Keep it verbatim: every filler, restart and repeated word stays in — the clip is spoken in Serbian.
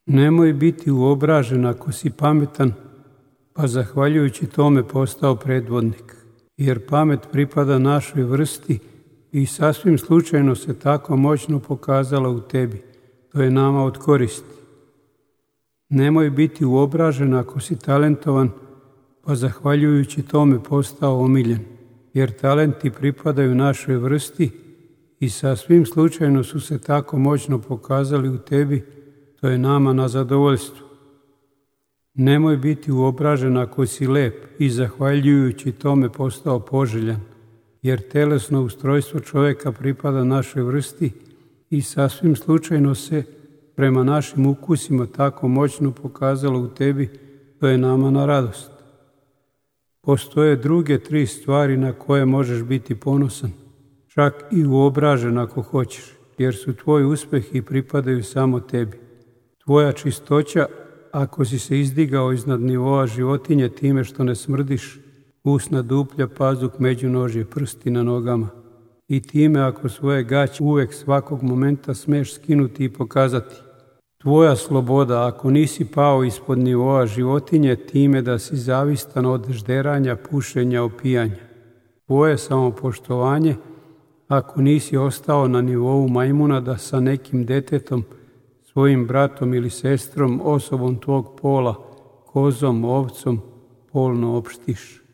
Nemoj biti uobražen ako si pametan, pa zahvaljujući tome postao predvodnik, jer pamet pripada našoj vrsti i sasvim slučajno se tako moćno pokazala u tebi. To je nama od koristi. Nemoj biti uobražen ako si talentovan, pa zahvaljujući tome postao omiljen, jer talenti pripadaju našoj vrsti i sasvim slučajno su se tako moćno pokazali u tebi. To je nama na zadovoljstvo. Nemoj biti uobražen ako si lep i zahvaljujući tome postao poželjan, jer telesno ustrojstvo čovjeka pripada našoj vrsti i sasvim slučajno se prema našim ukusima tako moćno pokazalo u tebi. To je nama na radost. Postoje druge tri stvari na koje možeš biti ponosan, čak i uobražen ako hoćeš, jer su tvoj uspjeh i pripadaju samo tebi. Tvoja čistoća, ako si se izdigao iznad nivoa životinje time što ne smrdiš, usna duplja, pazuk, međunožje, prsti na nogama, i time ako svoje gaće uvek svakog momenta smeš skinuti i pokazati. Tvoja sloboda, ako nisi pao ispod nivoa životinje time da si zavistan od žderanja, pušenja, opijanja. Tvoje samopoštovanje, ako nisi ostao na nivou majmuna da sa nekim detetom, svojim bratom ili sestrom, osobom tvog pola, kozom, ovcom, polno opštiš.